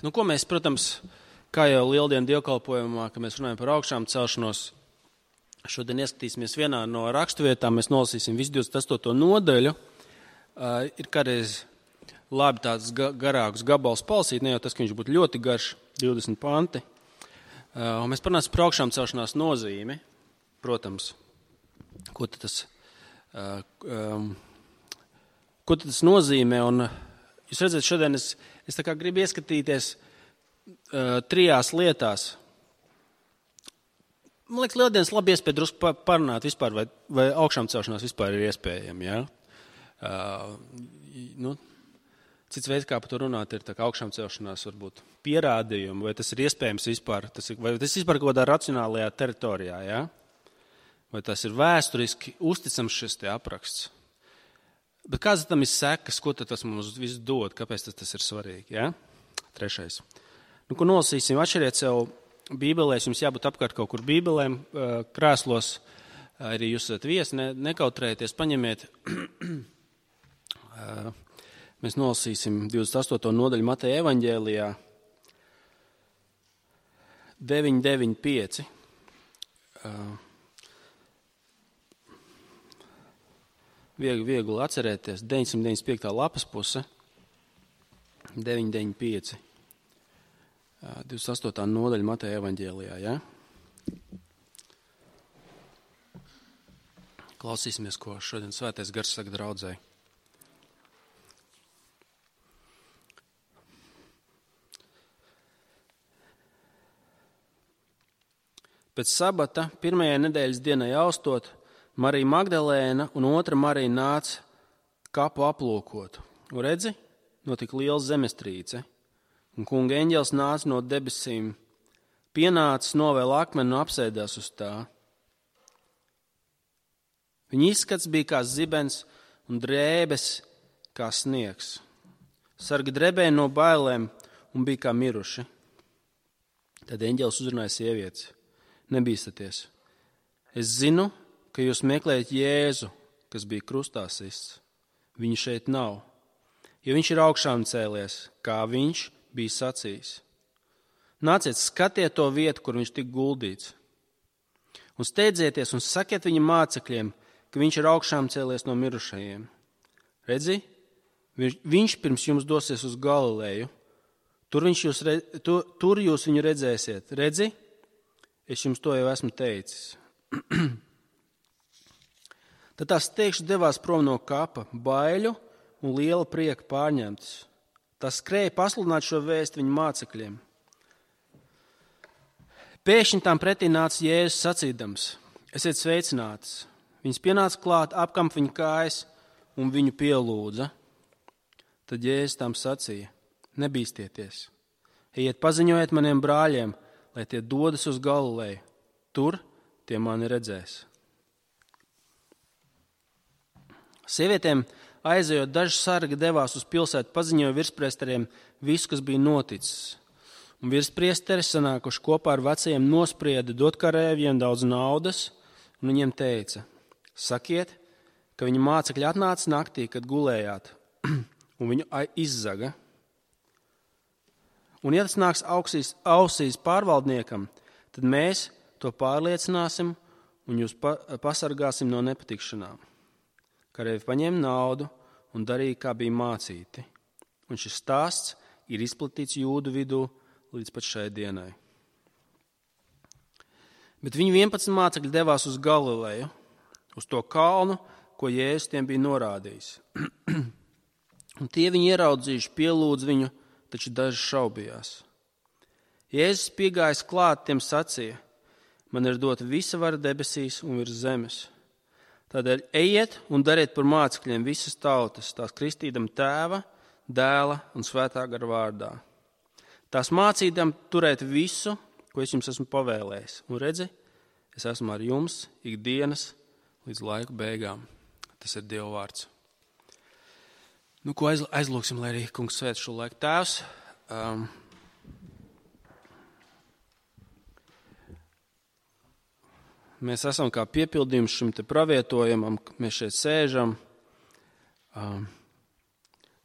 Nu, ko mēs, protams, kā jau Lieldienu dievkalpojumā, kad mēs runājam par augšām celšanos, šodien ieskatīsimies vienā no raksturvietām, mēs nolasīsim visu 28. nodaļu. Ir kādreiz labi tāds garāks gabals palasīt, ne jau tas, ka viņš būtu ļoti garš, 20 panti. Un mēs parunāsim par augšām celšanās nozīmi, protams, ko tas nozīmē. Un jūs redzat, šodien es tā kā gribu ieskatīties 3 lietās. Man liekas, Lieldienas labi iespēja drusku parunāt vispār, vai augšām celšanās vispār ir iespējama. Ja? Cits veids, kā par to runāt, ir tā kā augšām celšanās varbūt pierādījumi, vai tas ir iespējams vispār, vai tas vispār kaut kādā racionālajā teritorijā, ja? Vai tas ir vēsturiski uzticams šis te apraksts. Bet kāds tam ir sekas, ko tas mums viss dod, kāpēc tas ir svarīgi, ja? 3. Ko nolasīsim, atšķiriet sev bībelēs, jums jābūt apkārt kaut kur bībelēm, krēslos, arī jūs esat viesi, nekautrējieties, paņemiet. Mēs nolasīsim 28. nodaļu Mateja evaņģēlijā 9.9.5. Viegli atcerēties, 995. lapas puse, 9.9.5. 28. nodaļa Mateja evaņģēlijā, ja? Klausīsimies, ko šodien Svētais Gars saka draudzei. Pēc sabata, 1. nedēļas dienai austot, Marija Magdalēna un otra Marija nāca kapu aplūkot. Un redzi, notika liela zemestrīce, un kunga eņģelis nāca no debesīm, pienācis, novēla akmeni un apsēdās uz tā. Viņa izskats bija kā zibens un drēbes kā sniegs. Sargi drebēja no bailēm un bija kā miruši. Tad eņģelis uzrunāja sievietes. Nebīstaties. Es zinu, ka jūs meklējat Jēzu, kas bija krustā sists. Viņu šeit nav, jo viņš ir augšām cēlies, kā viņš bija sacījis. Nāciet, skatiet to vietu, kur viņš tika guldīts. Un steidzieties un sakiet viņa mācekļiem, ka viņš ir augšām cēlies no mirušajiem. Redzi, viņš pirms jums dosies uz Galileju. Tur jūs viņu redzēsiet. Redzi, es jums to jau esmu teicis. Tad tās steigšas devās prom no kapa, baiļu un liela prieka pārņemtas. Tās skrēja pasludināt šo vēstu viņu mācekļiem. Pēkšņi tām pretī nāca Jēzus sacīdams: Esiet sveicinātas. Viņas pienāca klāt, apkamp viņa kājas un viņu pielūdza. Tad Jēzus tām sacīja: Nebīstieties. Ejiet paziņojiet maniem brāļiem, lai tie dodas uz Galileju. Tur tie mani redzēs. Sievietēm aizejot, daži sargi devās uz pilsētu, paziņoja virspriesteriem visu, kas bija noticis. Un virspriesteri, sanākuši kopā ar vecajiem, nosprieda dot karēviem daudz naudas, un viņiem teica: Sakiet, ka viņa mācekļi atnāca naktī, kad gulējāt, un viņu izzaga. Un ja tas nāks ausīs pārvaldniekam, tad mēs to pārliecināsim un jūs pasargāsim no nepatikšanām. Karēvi paņēma naudu un darīja, kā bija mācīti. Un šis stāsts ir izplatīts jūdu vidū līdz pat šai dienai. Bet viņu 11 mācekļi devās uz Galileju, uz to kalnu, ko Jēzus tiem bija norādījis. Un tie viņu ieraudzījuši, pielūdz viņu, taču daži šaubījās. Jēzus piegājis klāt, tiem sacīja: Man ir dota visa vara debesīs un virs zemes. Tādēļ ejiet un dariet par mācekļiem visas tautas, tās kristīdam Tēva, Dēla un Svētā gara vārdā. Tās mācīdam turēt visu, ko es jums esmu pavēlējis. Un redzi, es esmu ar jums ikdienas līdz laiku beigām. Tas ir Dieva vārds. Ko aizlūksim, lai arī kungs svēt šo laiku. Tēvs, mēs esam kā piepildījums šim te pravietojumam, mēs šeit sēžam,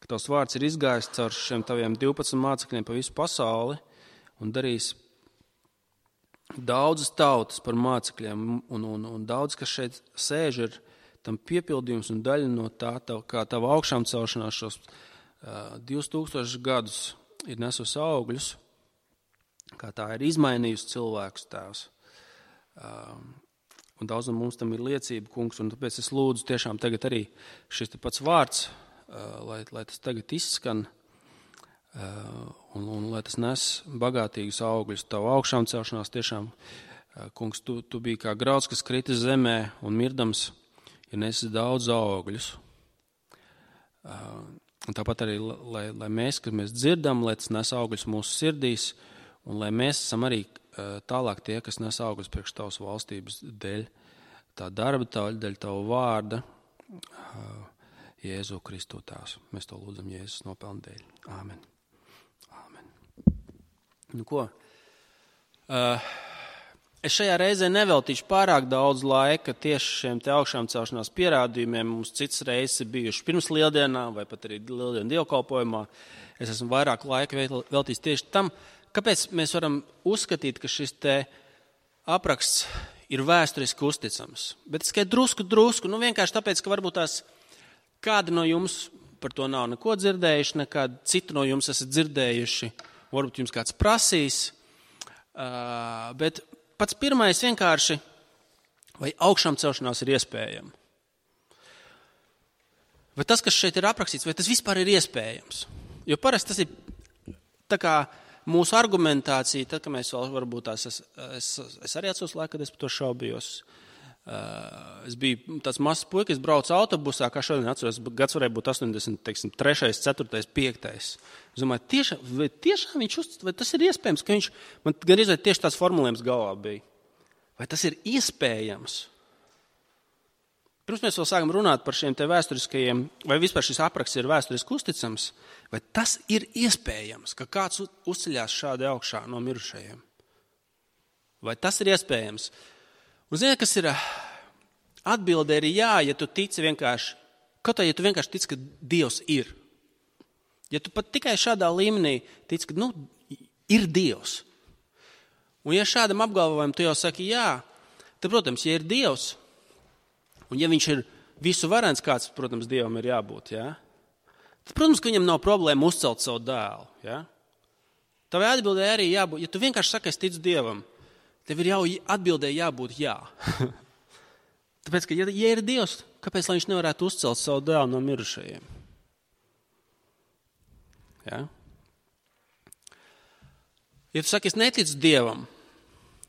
ka tavs vārds ir izgājis caur šiem taviem 12 mācekļiem pa visu pasauli un darīs daudzas tautas par mācekļiem, un daudz, kas šeit sēž, ir tam piepildījums un daļa no tā, kā tava augšām celšanās šos 2000 gadus ir nesusi augļus, kā tā ir izmainījusi cilvēkus, Tēvs. Un daudz no mums tam ir liecība, kungs, un tāpēc es lūdzu tiešām tagad arī šis te pats vārds, lai tas tagad izskan, un lai tas nes bagātīgus augļus. Tavu augšām celšanās tiešām, kungs, tu biji kā grauds, kas kritis zemē un mirdams, ja nesis daudz augļus. Un tāpat arī, lai mēs, kad mēs dzirdam, lai tas nes augļus mūsu sirdīs, un lai mēs esam arī tālāk tie, kas nes augļus priekš tavas valstības dēļ, tā darba dēļ, tavu vārda, Jēzu Kristu Tēvs. Mēs to lūdzam Jēzus nopelnu dēļ. Āmen. Āmen. Nu ko? Es šajā reizē neveltīšu pārāk daudz laika tieši šiem te augšām celšanās pierādījumiem. Mums citas reizes ir bijuši pirms lieldienām vai pat arī lieldienu dievkalpojumā. Es esmu vairāk laika veltījis tieši tam, kāpēc mēs varam uzskatīt, ka šis te apraksts ir vēsturiski uzticams. Bet es tikai drusku, vienkārši tāpēc, ka varbūt tās kādi no jums par to nav neko dzirdējuši, nekādi citi no jums esat dzirdējuši, varbūt jums kāds prasīs, bet pats pirmais vienkārši, vai augšām celšanās ir iespējama? Vai tas, kas šeit ir aprakstīts, vai tas vispār ir iespējams? Jo parasti tas ir tā kā mūsu argumentācija, tad, ka mēs vēl varbūt tās, es arī atceros laiku, kad es par to šaubījos. Es biju tāds mazs puika, es braucu autobusā, kā šodien atceros, gads varēja būt 83, 4, 5. Es domāju, tiešām viņš uzticas, vai tas ir iespējams, ka viņš, man gan izvēl tieši tās formulējums galvā bija. Vai tas ir iespējams? Pirms mēs vēl sākam runāt par šiem te vēsturiskajiem, vai vispār šis apraksts ir vēsturiski uzticams, vai tas ir iespējams, ka kāds uzceļās šādi augšā no mirušajiem? Vai tas ir iespējams? Un zini, kas ir atbilde ir jā, ja tu tici vienkārši, kaut kā, ja tu vienkārši tici, ka Dievs ir. Ja tu pat tikai šādā līmenī tici, ka, ir Dievs. Un ja šādam apgalvojumam tu jau saki jā, tad, protams, ja ir Dievs, un ja viņš ir visu varens, kāds, protams, Dievam ir jābūt, jā, tad, protams, ka viņam nav problēma uzcelt savu dēlu, jā. Tavai atbildē arī jābūt, ja tu vienkārši saki, es ticu Dievam, tev ir jau atbildēji jābūt jā. Tāpēc, ka ja ir Dievs, kāpēc lai viņš nevarētu uzcelt savu dēlu no mirušajiem? Ja? Ja tu saki, es neticu Dievam,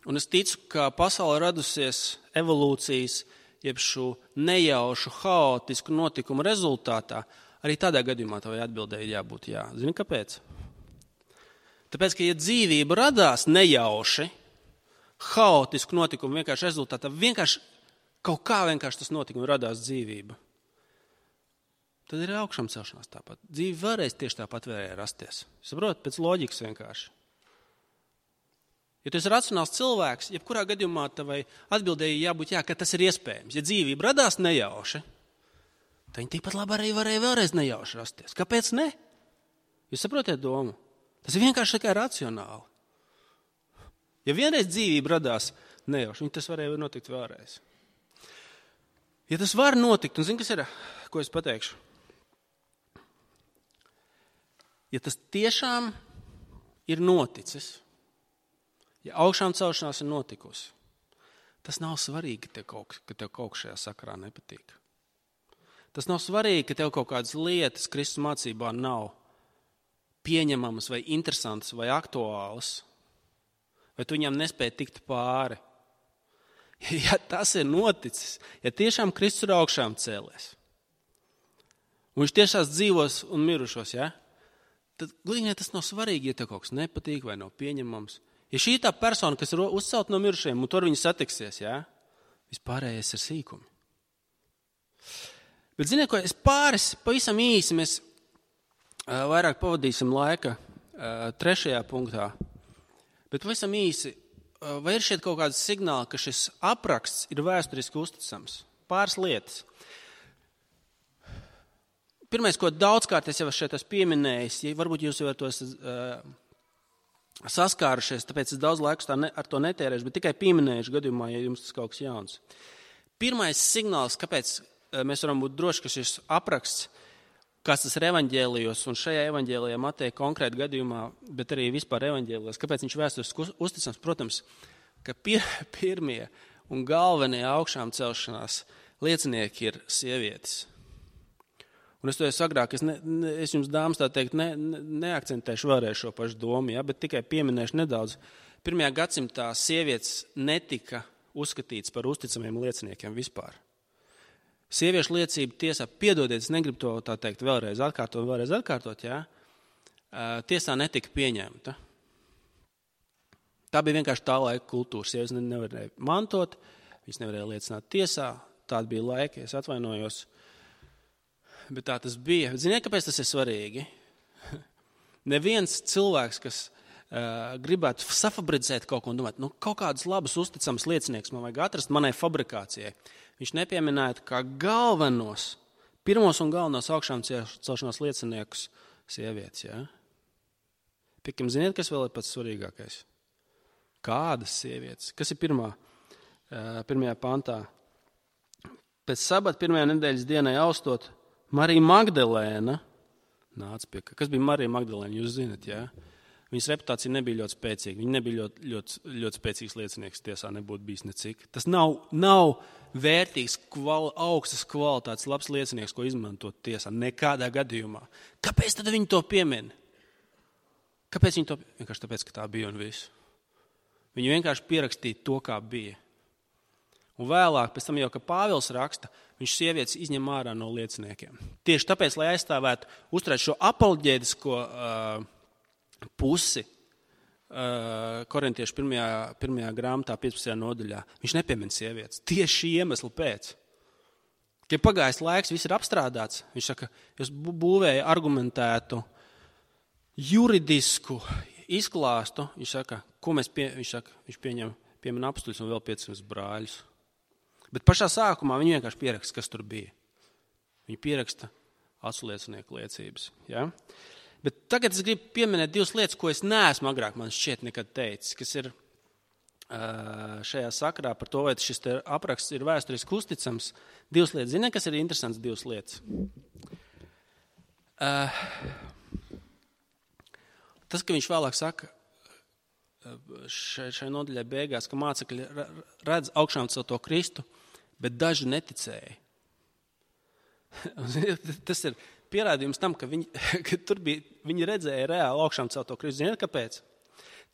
un es ticu, ka pasaule radusies evolūcijas, jeb šo nejaušu, haotisku notikumu rezultātā, arī tādā gadījumā tavai atbildēji jābūt jā. Zini, kāpēc? Tāpēc, ka ja dzīvība radās nejauši, haotisku notikumu vienkārši rezultātā, vienkārši kaut kā vienkārši tas notikums radās dzīvība. Tad ir augšām celšanās tāpat. Dzīve vēlreiz tieši tāpat varēja rasties. Saprot, pēc loģikas vienkārši. Ja tu esi racionāls cilvēks, jebkurā gadījumā tavai atbildēji jābūt jā, ka tas ir iespējams. Ja dzīvība radās nejauši, tad viņi tikpat labi arī varēja vēlreiz nejauši rasties. Kāpēc ne? Jūs saprotiet domu? Tas ir vienkārši tikai racionāli. Ja vienreiz dzīvība radās nejauši, tas varēja notikt vēlreiz. Ja tas var notikt, un zini, kas ir, ko es pateikšu? Ja tas tiešām ir noticis, ja augšām celšanās ir notikusi, tas nav svarīgi, ka tev kaut kas šajā sakarā nepatīk. Tas nav svarīgi, ka tev kaut kādas lietas Kristus mācībā nav pieņemamas vai interesantas vai aktuālas, vai tu viņam nespēji tikt pāri. Ja tas ir noticis, ja tiešām Kristus ir augšām cēlies, un viņš tiešās dzīvos un mirušos, ja, tad glīnē tas nav svarīgi, ja tev kaut kas nepatīk vai nav pieņemams. Ja šī tā persona, kas ir uzcelt no mirušajiem, un tur viņi satiksies, ja, vispārējais ir sīkumi. Bet ziniet, ko es pavisam īsi, mēs vairāk pavadīsim laika 3. punktā. Bet pavisam īsi, vai ir šeit kaut kāds signāli, ka šis apraksts ir vēsturiski uzticams? Pāris lietas. Pirmais, ko daudzkārt es jau šeit esmu pieminējis, ja varbūt jūs jau ar to saskārušies, tāpēc es daudz laikus ar to netērēšu, bet tikai pieminējuši gadījumā, ja jums tas kaut kas jauns. Pirmais signāls, kāpēc mēs varam būt droši, ka šis apraksts, kas tas ir evaņģēlijos, un šajā evaņģēlijā Mateja konkrēti gadījumā, bet arī vispār evaņģēlijos, kāpēc viņš vēsturiski uzticams, protams, ka pirmie un galvenie augšām celšanās liecinieki ir sievietes. Un es to esmu agrāk, es jums, dāmas, tā teikt, neakcentēšu vēlreiz šo pašu domu, ja, bet tikai pieminēšu nedaudz. 1. gadsimtā sievietes netika uzskatīts par uzticamiem lieciniekiem vispār. Sieviešu liecība tiesā, piedodiet, es negribu to tā teikt vēlreiz atkārtot, ja, tiesā netika pieņemta. Tā bija vienkārši tā laika kultūra. Sievietes nevarēja mantot, viņas nevarēja liecināt tiesā, tādi bija laiki, es atvainojos. Bet tā tas bija. Ziniet, kāpēc tas ir svarīgi? Neviens cilvēks, kas gribētu safabricēt kaut ko un domāt, kaut kādas labas, uzticamas liecinieks man vajag atrast manai fabrikācijai. Viņš nepieminētu kā galvenos, pirmos un galvenos augšām celšanās lieciniekus sievietes. Ja? Piekam, ziniet, kas vēl ir pats svarīgākais? Kādas sievietes? Kas ir pirmajā pantā? Pēc sabata pirmajā nedēļas dienai austot, Marija Magdalēna nāca pie. Kas bija Marija Magdalēna? Jūs zinat, jā? Viņas reputācija nebija ļoti spēcīga. Viņa nebija ļoti spēcīgs liecinieks tiesā, nebūtu bijis necik. Tas nav vērtīgs, augstas kvalitātes, labs liecinieks, ko izmantot tiesā. Nekādā gadījumā. Kāpēc tad viņi to piemin? Kāpēc viņi to piemin? Vienkārši tāpēc, ka tā bija un viss. Viņi vienkārši pierakstīja to, kā bija. Un vēlāk, pēc tam jau, ka Pāvils raksta, viņš sievietes izņem ārā no lieciniekiem. Tieši tāpēc, lai aizstāvētu, uzturēt šo apoloģētisko pusi Korintiešu pirmajā grāmatā, 15. nodaļā, viņš nepiemin sievietes. Tieši šī iemesla pēc. Kad pagājis laiks, viss ir apstrādāts, viņš saka, jūs būvēja argumentētu, juridisku izklāstu, viņš saka, viņš piemin apustuļus un vēl 500 brāļus. Bet pašā sākumā viņi vienkārši pieraksta, kas tur bija. Viņi pieraksta aculiecinieku liecības. Ja? Bet tagad es gribu pieminēt divas lietas, ko es neesmu agrāk man šķiet nekad teicis, kas ir šajā sakarā par to, vai šis apraksts ir vēsturiski uzticams. Divas lietas. Ziniet, kas ir interesants divas lietas? Tas, ka viņš vēlāk saka, šai nodaļai beigās, ka mācekļi redz augšām celto Kristu, bet daži neticēja. Tas ir pierādījums tam, ka viņi redzēja reāli augšām celto Kristu. Ziniet, kāpēc?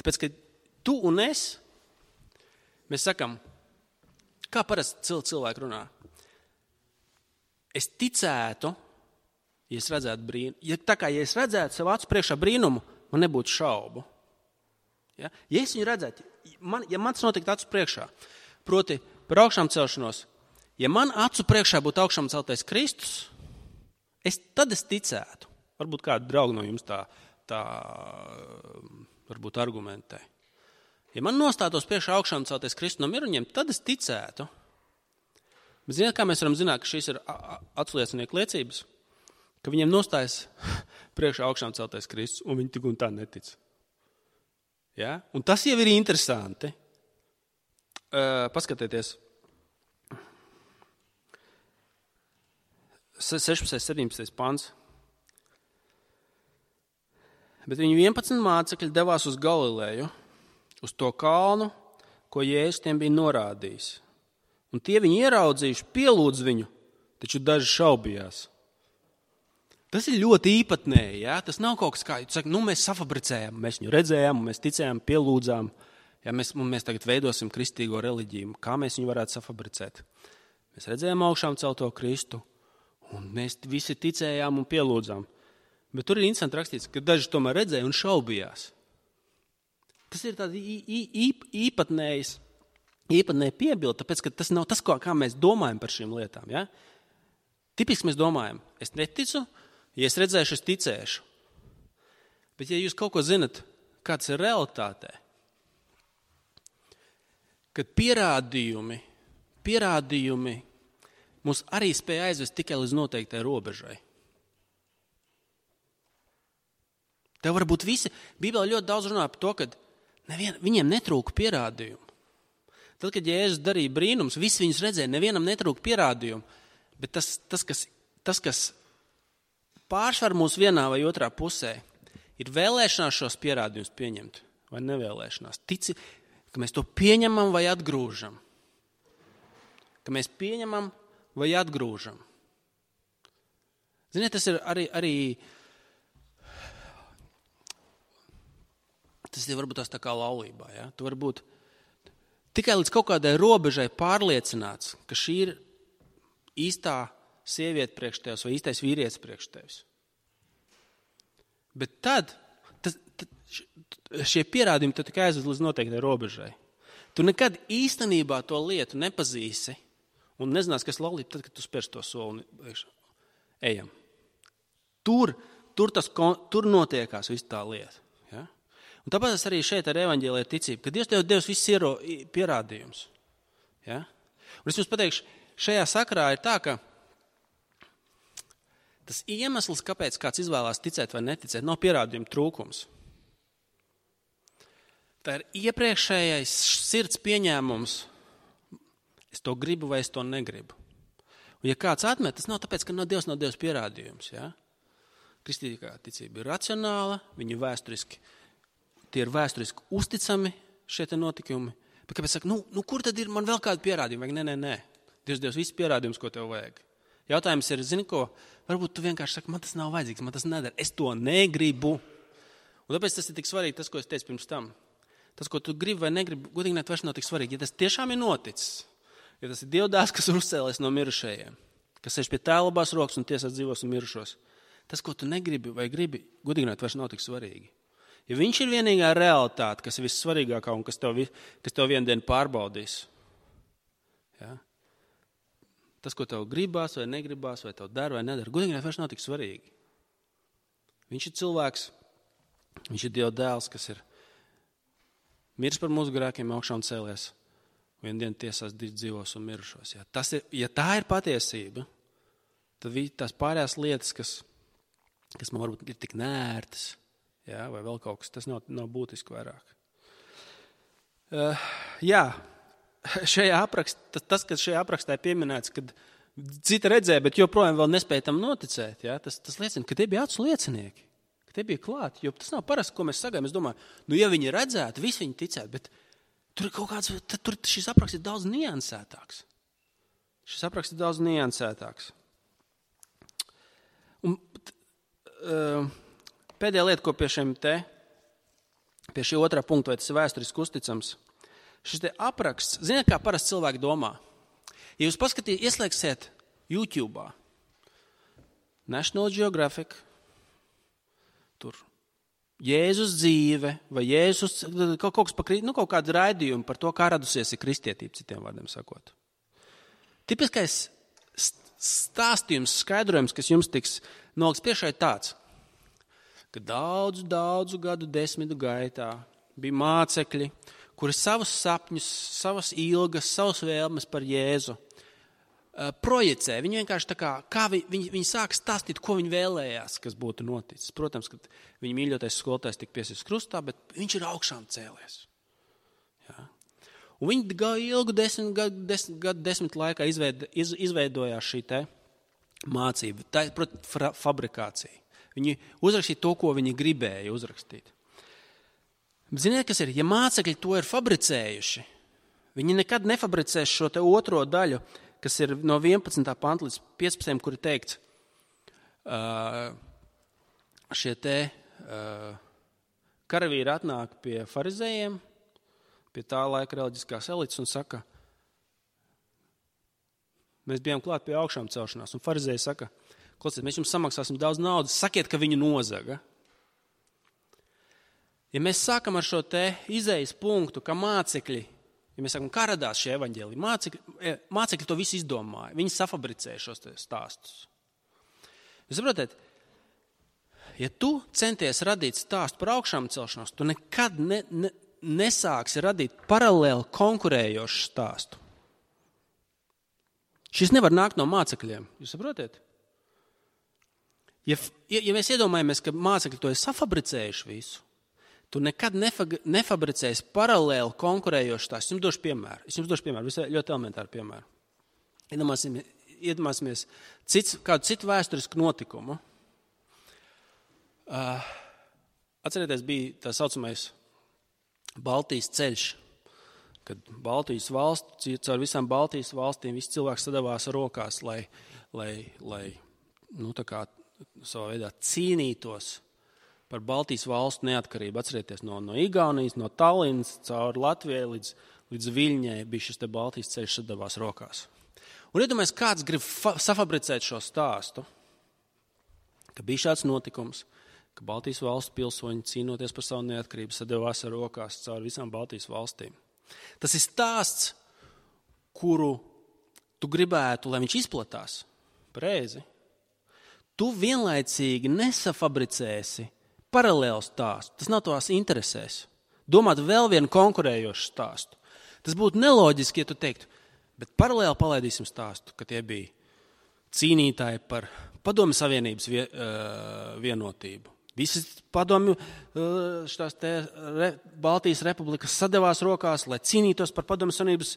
Tāpēc, ka tu un es, mēs sakam, kā parasti cilvēki runā. Es ticētu, ja es redzētu brīnumu. Ja es redzētu savu acu priekšā brīnumu, man nebūtu šaubu. Ja es viņu redzētu, ja man tas notiktu acu priekšā, proti par augšām celšanos, ja man acu priekšā būtu augšām celtais Kristus, tad es ticētu. Varbūt kādu draugu no jums tā varbūt argumentē. Ja man nostātos priekšā augšām celtais Kristus no miruņiem, tad es ticētu. Bet ziniet, kā mēs varam zināt, ka šīs ir aculiecinieku liecības? Ka viņiem nostājas priekšā augšām celtais Kristus, un viņi tik un tā netic. Ja? Un tas jau ir interesanti. Paskatieties. 16. 17. pants. Bet viņu 11 mācekļi devās uz Galileju, uz to kalnu, ko Jēzus tiem bija norādījis. Un tie viņu ieraudzījuši, pielūdz viņu, taču daži šaubījās. Tas ir ļoti īpatnēji, ja? Tas nav kaut kas kā, mēs safabricējām, mēs viņu redzējām, mēs ticējām, pielūdzām, ja? Mēs tagad veidosim kristīgo reliģiju, kā mēs viņu varētu safabricēt. Mēs redzējām augšām celto Kristu, un mēs visi ticējām un pielūdzām. Bet tur ir interesanti rakstīts, ka daži tomēr redzēja un šaubījās. Tas ir tādi īpatnēji piebildi, tāpēc, ka tas nav tas, kā mēs domājam par šīm lietām. Ja? Tipiski mēs domājam, es neticu, ja es redzēšu, es ticēšu. Bet ja jūs kaut ko zinat, kāds ir realitātē, kad pierādījumi mūs arī spēja aizvest tikai līdz noteiktai robežai. Tev var būt visi. Bībelē ļoti daudz runā par to, ka viņiem netrūka pierādījumu. Tad, kad Jēzus darīja brīnums, visi viņus redzēja, nevienam netrūka pierādījumu. Bet tas, kas pārsvar mūs vienā vai otrā pusē, ir vēlēšanās šos pierādījumus pieņemt vai nevēlēšanās. Tici, ka mēs to pieņemam vai atgrūžam. Ka mēs pieņemam vai atgrūžam. Ziniet, tas ir arī tas ir varbūt tās tā kā laulībā. Ja? Tu vari būt tikai līdz kaut kādai robežai pārliecināts, ka šī ir īstā sieviete priekš tevis vai īstais vīrietis priekš tevis. Bet tad šie pierādījumi tu tikai aizved līdz noteiktai robežai. Tu nekad īstenībā to lietu nepazīsi un nezinās, kas laulība, tad, kad tu spērš to soli. Ejam. Tur notiekās viss tā lieta. Ja? Un tāpēc arī šeit ar evaņģēliju ticību, ka Dievs tev devis viss pierādījums. Ja? Un es jums pateikšu, šajā sakarā ir tā, ka tas iemesls, kāpēc kāds izvēlās ticēt vai neticēt, nav pierādījuma trūkums. Tā ir iepriekšējais sirds pieņēmums, es to gribu vai es to negribu. Un ja kāds atmet, tas nav tāpēc, ka Dievs nav devis pierādījums. Ja? Kristīgā ticība ir racionāla, viņi tie ir vēsturiski uzticami šie te notikumi. Bet kāpēc saka, kur tad ir man vēl kādi pierādījumi? Nē. Dievs devis visus pierādījumus, ko tev vajag. Jautājums ir, zini ko, varbūt tu vienkārši saki, man tas nav vajadzīgs, man tas nedara, es to negribu. Un tāpēc tas ir tik svarīgi, tas, ko es teicu pirms tam. Tas, ko tu gribi vai negribi, godīgi vairs nav tik svarīgi. Ja tas tiešām ir noticis, ja tas ir Dievdēls, kas ir uzcēlies no mirušajiem, kas sēž pie Tēva labās rokas un tiesās dzīvos un mirušos, tas, ko tu negribi vai gribi, godīgi vairs nav tik svarīgi. Ja viņš ir vienīgā realitāte, kas ir vissvarīgākā un kas tev vienu dienu pārbaudīs, ja? Tas, ko tev gribās vai negribās, vai tev dara vai nedara, godīgi vairs nav tik svarīgi. Viņš ir cilvēks, viņš ir Dieva dēls, kas ir miris par mūsu grēkiem, augšā un cēlies, vienu dienu tiesās dzīvos un mirušos. Ja? Ja tā ir patiesība, tad tās pārējās lietas, kas man varbūt ir tik nērtas, ja? Vai vēl kaut kas, tas nav būtiski vairāk. Tas, kas šajā aprakstā ir pieminēts, kad cita redzēja, bet joprojām vēl nespēja tam noticēt, ja? Tas liecina, ka tie bija acu liecinieki, ka tie bija klāti, jo tas nav parasti, ko mēs sagājam. Es domāju, ja viņi redzētu, visi viņi ticētu, bet tur ir kaut kāds, tur šis apraksts ir daudz niansētāks. Un pēdējā lieta, ko pie šī otrā punkta, vai tas ir vēsturiski uzticams, šis te apraksts, ziniet, kā parasti cilvēki domā? Ja jūs ieslēgsiet YouTube'ā National Geographic, tur Jēzus dzīve, vai Jēzus, kaut kāds raidījumi par to, kā radusies ir kristietība, citiem vārdiem sakot. Tipiskais stāstījums, skaidrojums, kas jums tiks nolikts priekšā, ir tāds, ka daudzu gadu desmitu gaitā bija mācekļi, kuri savus sapņus, savas ilgas, savas vēlmes par Jēzu projicē. Viņi vienkārši tā kā viņi sāk stāstīt, ko viņi vēlējās, kas būtu noticis. Protams, ka viņa mīļotais skolotājs tika piesists krustā, bet viņš ir augšām cēlies. Ja? Un viņi ilgu desmit laikā izveidojās šī te mācība, tā ir fabrikācija. Viņi uzrakstīja to, ko viņi gribēja uzrakstīt. Ziniet, kas ir? Ja mācekļi to ir fabricējuši, viņi nekad nefabricēs šo te otro daļu, kas ir no 11. panta līdz 15. kur ir teikts, šie te karavīri atnāk pie farizējiem, pie tā laika reliģiskās elites un saka, mēs bijām klāt pie augšām celšanās, un farizēji saka, klausiet, mēs jums samaksāsim daudz naudas, sakiet, ka viņu nozaga. Ja mēs sākam ar šo te izejas punktu, ka mācekļi, ja mēs sakam, kā radās šie evaņģēliji, mācekļi to visu izdomāja, viņi safabricēja šos stāstus. Jūs saprotat, ja tu centies radīt stāstu par augšām celšanos, tu nekad nesāksi radīt paralēli konkurējošu stāstu. Šis nevar nākt no mācekļiem, jūs saprotat? Ja mēs iedomājamies, ka mācekļi to ir safabricējuši visu, tu nekad nefabricēsi paralēli konkurējošu stāstu. Es jums došu piemēru, visai ļoti elementāru piemēru. Iedomāsimies kādu citu vēsturisku notikumu. Atcerieties, bija tā saucamais Baltijas ceļš, kad Baltijas valsts, caur visām Baltijas valstīm visi cilvēki sadavās rokās, lai tā kā savā veidā cīnītos par Baltijas valstu neatkarību. Atcerieties, no Igaunijas, no Tallinas, caur Latvijai līdz Viļņai bija šis te Baltijas ceļš sadavās rokās. Un iedomājies, kāds grib safabricēt šo stāstu, ka bija šāds notikums, ka Baltijas valstu pilsoņi cīnoties par savu neatkarību sadavās ar rokās caur visām Baltijas valstīm. Tas ir stāsts, kuru tu gribētu, lai viņš izplatās. Pareizi. Tu vienlaicīgi nesafabricēsi paralēlu stāstu. Tas nav tavās interesēs. Domāt vēl vienu konkurējošu stāstu. Tas būtu neloģiski, ja tu teiktu, bet paralēli palaidīsim stāstu, ka tie bija cīnītāji par Padomju Savienības vienotību. Visas padomju Baltijas republikas sadevās rokās, lai cīnītos par Padomju Savienības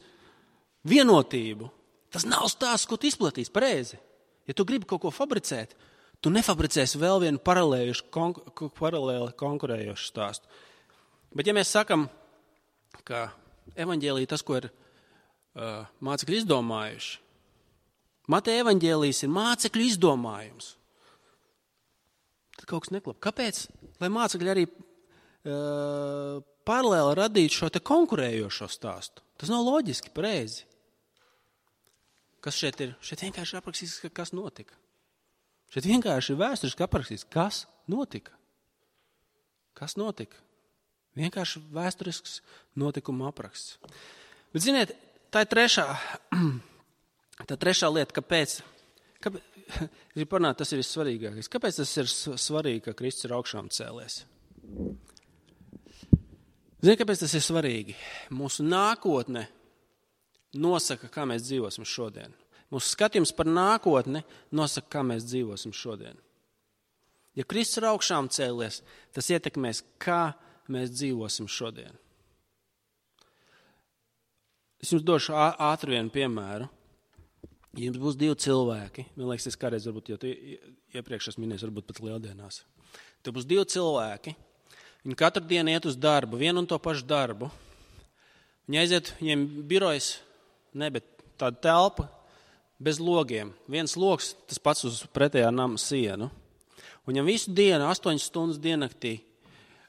vienotību. Tas nav stāsts, ko tu izplatīsi, pareizi. Ja tu gribi kaut ko fabricēt, tu nefabricēsi vēl vienu paralēli konkurējošu stāstu. Bet ja mēs sakam, ka evaņģēlija tas, ko ir mācekļi izdomājuši, Mateja evaņģēlijs ir mācekļu izdomājums, tad kaut kas neklap. Kāpēc? Lai mācekļi arī paralēli radītu šo te konkurējošo stāstu. Tas nav loģiski, pareizi. Kas šeit ir? Šeit vienkārši aprakstīts, kas notika. Šeit vienkārši ir vēsturiski aprakstīts, kas notika. Kas notika? Vienkārši vēsturisks notikuma apraksts. Bet, ziniet, tā ir trešā lieta, kāpēc tas ir vissvarīgākais. Kāpēc tas ir svarīgi, ka Kristus ir augšām cēlies? Ziniet, kāpēc tas ir svarīgi? Mūsu nākotne nosaka, kā mēs dzīvosim šodien. Mūsu skatījums par nākotni nosaka, kā mēs dzīvosim šodien. Ja Kristus ir augšām cēlies, tas ietekmēs, kā mēs dzīvosim šodien. Es jums došu ātri vienu piemēru. Ja jums būs 2 cilvēki, man liekas, es kādreiz varbūt, jo iepriekš es minēju, varbūt pat lieldienās. Tev būs 2 cilvēki, viņi katru dienu iet uz darbu, vienu un to pašu darbu. Viņi aiziet, viņiem birojas, bet tāda telpa bez logiem. Viens logs, tas pats uz pretējā nama sienu. Un viņam visu dienu, 8 stundas diennaktī,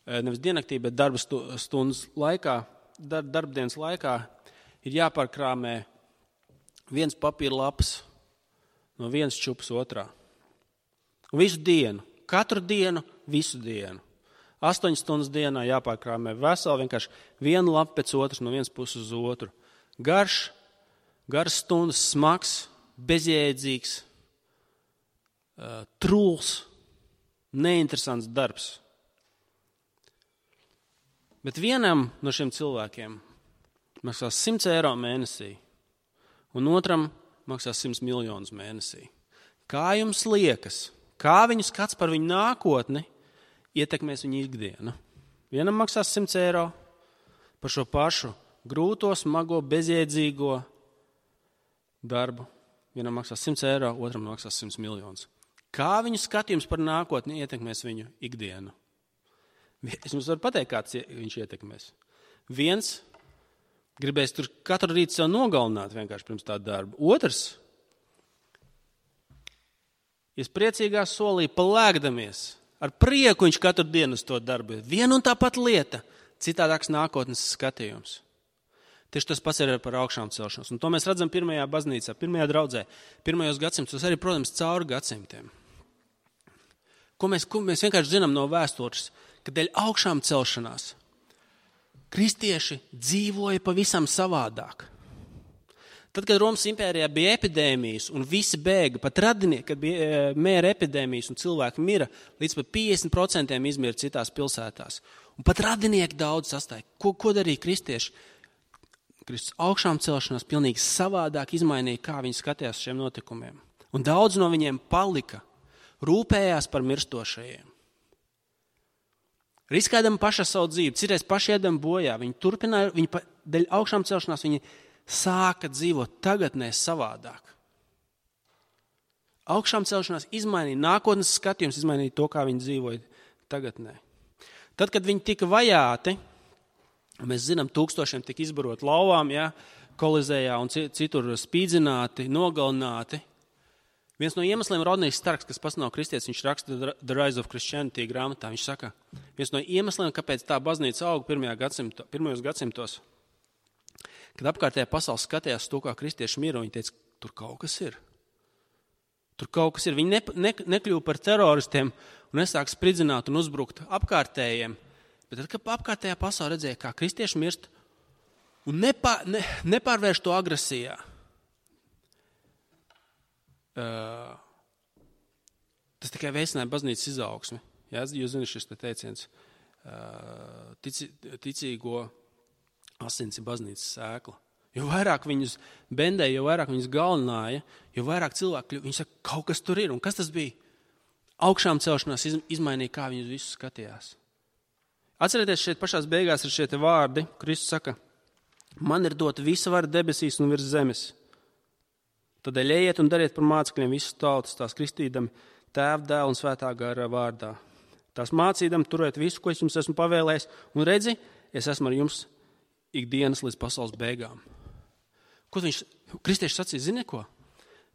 nevis diennaktī, bet darba stundas laikā, darbdienas laikā, ir jāpārkrāmē viens papīra lapas no vienas čupas otrā. Un visu dienu, katru dienu, visu dienu. 8 stundas dienā jāpārkrāmē veseli, vienkārši vienu lapu pēc otras no vienas puses uz otru. Garas stundas, smags, bezjēdzīgs, trūls, neinteresants darbs. Bet vienam no šiem cilvēkiem maksās 100 eiro mēnesī, un otram maksās 100 miljonus mēnesī. Kā jums liekas, kā viņu skats par viņu nākotni ietekmēs viņu ikdienu? Vienam maksās 100 eiro par šo pašu grūto, smago, bezjēdzīgo darbu. Vienam maksās 100 eiro, otram maksās 100 miljonus. Kā viņu skatījums par nākotni ietekmēs viņu ikdienu? Es jums varu pateikt, kāds viņš ietekmēs. Viens gribēs tur katru rītu sev nogalināt vienkārši pirms tā darba. Otrs, es priecīgā solī palēkdamies, ar prieku viņš katru dienu uz to darbu. Viena un tā pat lieta, citādāks nākotnes skatījums. Tieši tas pats ir par augšām celšanos. Un to mēs redzam pirmajā baznīcā, pirmajā draudzē, pirmajos gadsimtos, arī, protams, cauri gadsimtiem. Ko mēs vienkārši zinām no vēstures, ka dēļ augšām celšanās kristieši dzīvoja pavisam savādāk. Tad, kad Romas impērijā bija epidēmijas un visi bēga, pat radinieki, kad bija mēra epidēmijas un cilvēki mira, līdz pat 50% izmira citās pilsētās. Un pat radinieki daudz sastāja. Ko darīja kristieši? Kristus augšām celšanās pilnīgi savādāk izmainīja, kā viņi skatījās šiem notikumiem. Un daudz no viņiem palika rūpējās par mirstošajiem. Riskēdami paši savu dzīvi, citreiz paši iedami bojā. Viņi turpināja, dēļ augšām celšanās, viņi sāka dzīvot tagadnē savādāk. Augšām celšanās izmainīja nākotnes skatījums, izmainīja to, kā viņi dzīvoja tagadnē. Tad, kad viņi tika vajāti, mēs zinām, tūkstošiem tika izbarot lauvām, ja, Kolizējā un citur spīdzināti, nogalināti. Viens no iemesliem Rodnijs Starks, kas pats nav kristietis, viņš raksta The Rise of Christianity grāmatā. Viņš saka, viens no iemesliem, kāpēc tā baznīca auga pirmajos gadsimtos, kad apkārtējā pasaule skatījās to, kā kristieši mira, viņi teica, tur kaut kas ir. Tur kaut kas ir. Viņi nekļuva par teroristiem un nesāk spridzināt un uzbrukt apkārtējiem. Bet tad, kad apkārtējā pasaule redzēja, kā kristieši mirst un nepārvērš to agresijā, tas tikai veicināja baznīcas izaugsmi. Ja, jūs zināt šis teiciens, ticīgo asins ir baznīcas sēkla. Jo vairāk viņus bendēja, jo vairāk viņus galināja, jo vairāk cilvēku, viņi saka, kaut kas tur ir. Un kas tas bija? Augšām celšanās izmainīja, kā viņus visus skatījās. Atcerieties, šeit pašās beigās ir šie te vārdi. Kristus saka, man ir dota visa vara debesīs un virs zemes. Tādēļ ejiet un dariet par mācekļiem visas tautas, tās kristīdami Tēva, Dēla un Svētā gara vārdā. Tās mācīdami turēt visu, ko es jums esmu pavēlējis, un redzi, es esmu ar jums ikdienas līdz pasaules beigām. Ko viņš, kristieši sacīja, zini ko?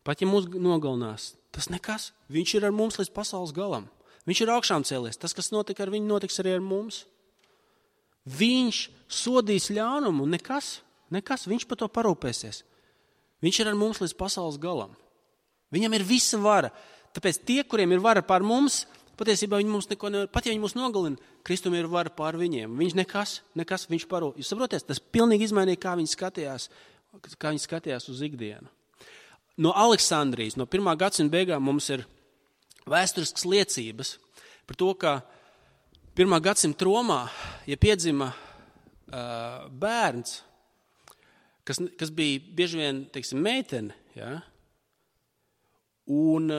Pat ja mūs nogalinās, tas nekas, viņš ir ar mums līdz pasaules galam. Viņš ir augšām cēlies, tas, kas notika ar viņu, notiks arī ar mums. Viņš sodīs ļaunumu, nekas, viņš par to parūpēsies. Viņš ir ar mums līdz pasaules galam. Viņam ir visa vara. Tāpēc tie, kuriem ir vara pār mums, patiesībā viņi mums neko nevar. Pat ja viņi mūs nogalina, Kristum ir vara pār viņiem. Viņš nekas, viņš parūp. Jūs saprotiet, tas pilnīgi izmainīja, kā viņi skatījās uz ikdienu. No Aleksandrijas, no 1. gadsimta beigām mums ir vēsturiskas liecības par to, ka 1. gadsimta Romā, ja piedzima bērns, kas bija bieži vien, teiksim, meitene, ja? Un,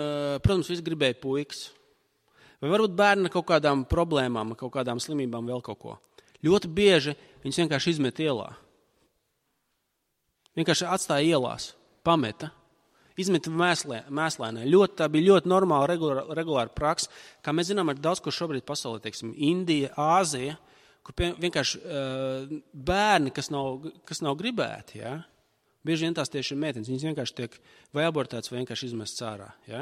protams, visi gribēja puikas. Vai varbūt bērni ar kaut kādām problēmām, kaut kādām slimībām, vēl kaut ko. Ļoti bieži viņus vienkārši izmet ielā. Vienkārši atstāja ielās, pameta, izmeta mēslēnē. Tā bija ļoti normāla, regulāra praksa. Kā mēs zinām, ir daudz, kur šobrīd pasaulē, teiksim, Indija, Āzija, kur vienkārši bērni, kas nav gribēti, ja? Bieži vien tās tieši ir meitenes, viņas vienkārši tiek vai abortētas, vai vienkārši izmests ārā. Ja?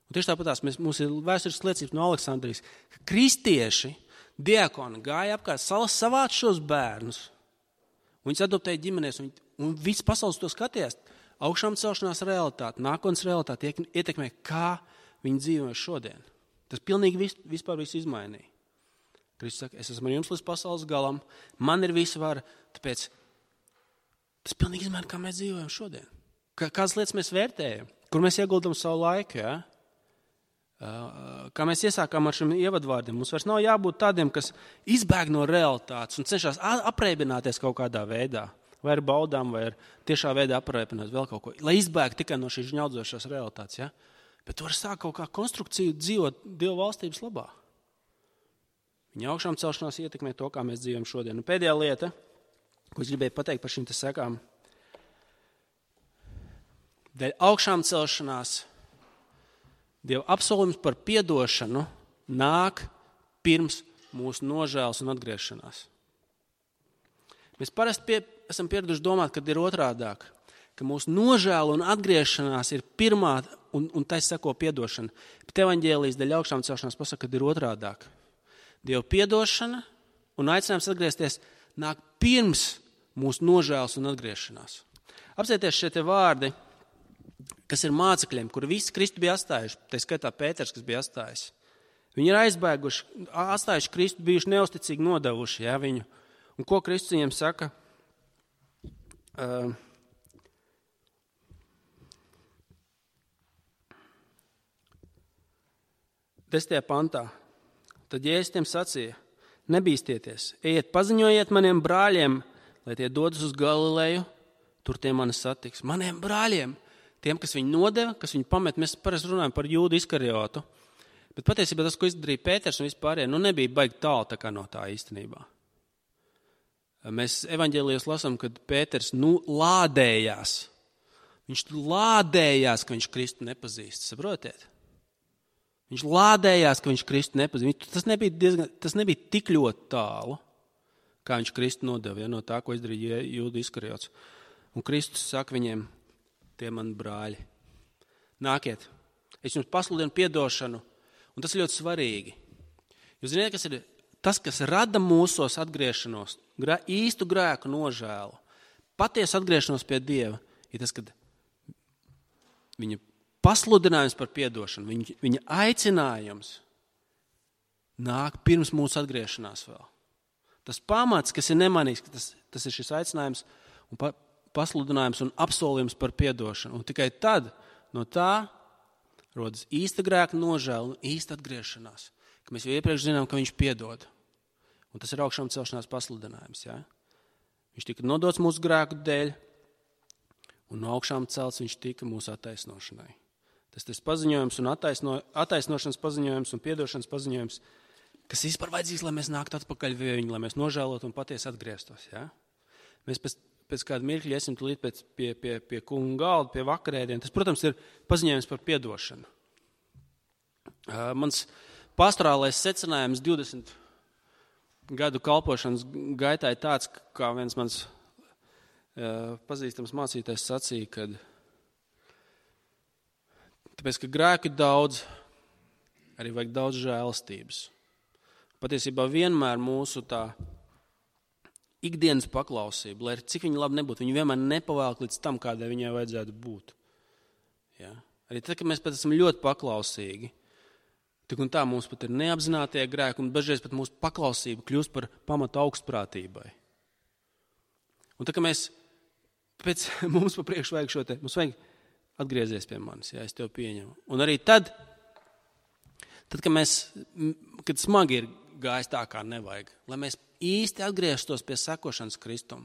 Un tieši tāpatās mums ir vēsturiskas liecības no Aleksandrijas, ka kristieši, diakoni gāja apkārt, savāc šos bērnus, un viņus adoptēja ģimenēs, un viss pasaules to skatījās. Augšām celšanās realitāte, nākotnes realitāte ietekmē, kā viņi dzīvo šodien. Tas pilnīgi vispār visu izmainīja. Kristus saka, es esmu ar jums līdz pasaules galam, man ir visa vara, tāpēc tas pilnīgi izmaina, kā mēs dzīvojam šodien. Kādas lietas mēs vērtējam, kur mēs ieguldam savu laiku, ja? Kā mēs iesākām ar šiem ievadvārdiem. Mums vairs nav jābūt tādiem, kas izbēg no realitātes un cenšas apreibināties kaut kādā veidā, vai ar baudām, vai ar tiešā veidā apreibināt vēl kaut ko, lai izbēg tikai no šīs žņaudzošās realitātes. Ja? Bet tu vari sākt kaut kā konstrukciju dzīvot Dieva valstības labā. Viņa augšām celšanās ietekmē to, kā mēs dzīvojam šodien. Un pēdējā lieta, ko es gribēju pateikt par šīm te sekām. Dēļ augšām celšanās Dieva apsolījums par piedošanu nāk pirms mūsu nožēlas un atgriešanās. Mēs parasti esam pieraduši domāt, kad ir otrādāk, ka mūsu nožēla un atgriešanās ir pirmā un tai seko piedošana. Bet evaņģēlijas dēļ augšām celšanās pasaka, kad ir otrādāk. Dieva piedošana un aicinājums atgriezties nāk pirms mūsu nožēlas un atgriešanās. Apsieties šie te vārdi, kas ir mācekļiem, kuri visi Kristu bija atstājuši, tā skaitā Pēters, kas bija atstājis. Viņi ir aizbēguši, atstājuši Kristu, bijuši neusticīgi nodevuši, ja, viņu. Un ko Kristus viņiem saka? 10. pantā. Tad Jēzus tiem sacīja, nebīstieties, ejiet paziņojiet maniem brāļiem, lai tie dodas uz Galileju, tur tie mani satiks. Maniem brāļiem, tiem, kas viņu nodeva, kas viņu pamet. Mēs parasti runājam par Jūdu Iskariotu. Bet patiesībā tas, ko izdarīja Pēters un vispārējie, nebija baigi tālu tā kā no tā īstenībā. Mēs evaņģēlijos lasām, kad Pēters lādējās. Viņš lādējās, ka viņš Kristu nepazīst. Saprotiet? Viņš lādējās, ka viņš Kristu nepazīst. Tas nebija tik ļoti tālu, kā viņš Kristu nodeva, no tā, ko izdarīja Jūda Iskariots. Un Kristus saka viņiem, tie mani brāļi, nākiet, es jums pasludinu piedošanu, un tas ir ļoti svarīgi. Jūs zināt, kas ir tas, kas rada mūsos atgriešanos, īstu grēku nožēlu, patiesu atgriešanos pie Dieva, ir tas, kad viņa pasludinājums par piedošanu, viņa aicinājums nāk pirms mūsu atgriešanās vēl. Tas pamats, kas ir nemanīgs, tas ir šis aicinājums un pasludinājums un apsolījums par piedošanu. Un tikai tad no tā rodas īsta grēka nožēla un īsta atgriešanās, ka mēs jau iepriekš zinām, ka viņš piedod. Un tas ir augšām celšanās pasludinājums. Ja? Viņš tika nodots mūsu grēku dēļ, un no augšām celts viņš tika mūsu attaisnošanai. Tas paziņojums un attaisnošanas paziņojums un piedošanas paziņojums, kas vispār vajadzīgs, lai mēs nāktu atpakaļ pie viņu, lai mēs nožēlotu un patiesi atgrieztos. Ja? Mēs pēc kāda mirkļa iesim tulīt pie kunga galda, pie vakarēdien. Tas, protams, ir paziņojums par piedošanu. Mans pastorālais secinājums 20 gadu kalpošanas gaitā ir tāds, kā viens mans pazīstams mācītājs sacīja, kad tāpēc, ka grēku ir daudz, arī vajag daudz žēlastības. Patiesībā vienmēr mūsu tā ikdienas paklausība, lai cik viņa labi nebūtu, viņa vienmēr nepavēlk līdz tam, kādai viņai vajadzētu būt. Ja? Arī tad, kad mēs pat esam ļoti paklausīgi, tik un tā mums pat ir neapzinātie grēki, un dažreiz pat mūsu paklausība kļūst par pamatu augstprātībai. Un tā, ka mums pa priekšu vajag šo te, mums vajag atgriezies pie manis, ja es tev pieņemu. Un arī tad kad smagi ir gājis tā, kā nevajag, lai mēs īsti atgrieztos pie sekošanas Kristum,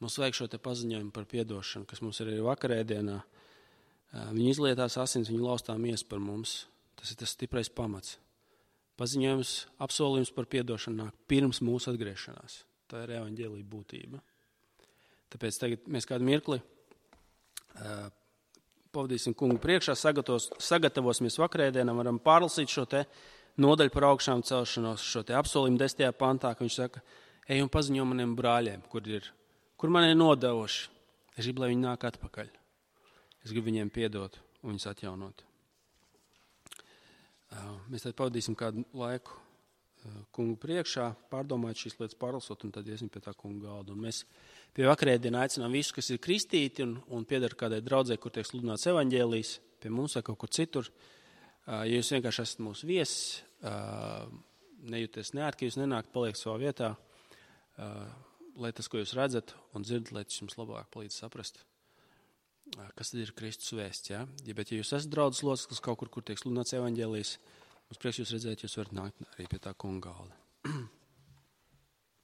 mums vajag šo te paziņojumu par piedošanu, kas mums ir arī vakarēdienā. Viņi izlietās asins, viņi laustā mies par mums. Tas ir tas stiprais pamats. Paziņojums, apsolījums par piedošanu nāk pirms mūsu atgriešanās. Tā ir evaņģēlija būtība. Tāpēc tagad mēs kādu mirkli pavadīsim kungu priekšā, sagatavosimies vakarēdienam, varam pārlasīt šo te nodaļu par augšām celšanos, šo te apsolījumu 10. pantā, ka viņš saka, ej un paziņo maniem brāļiem, kur man ir nodevuši. Es gribu, lai viņi nāk atpakaļ. Es gribu viņiem piedot un viņus atjaunot. Mēs tad pavadīsim kādu laiku kungu priekšā, pārdomājot šīs lietas, pārlasot, un tad iesim pie tā kunga galda. Un mēs pie vakarēdienā aicinām visus, kas ir kristīti un pieder kādai draudzē, kur tiek sludināts evaņģēlijs, pie mums vai kaut kur citur. Ja jūs vienkārši esat mūsu viesis, nejūties neērt, ka jūs nenākt, paliek savā vietā, lai tas, ko jūs redzat un dzirdat, lai tas jums labāk palīdz saprast, kas tad ir Kristus vēsts. Ja? Bet ja jūs esat draudzes loceklis kaut kur tiek sludināts evaņģēlijs, mums prieks jūs redzēt, jūs varat nākt arī pie tā kunga galda.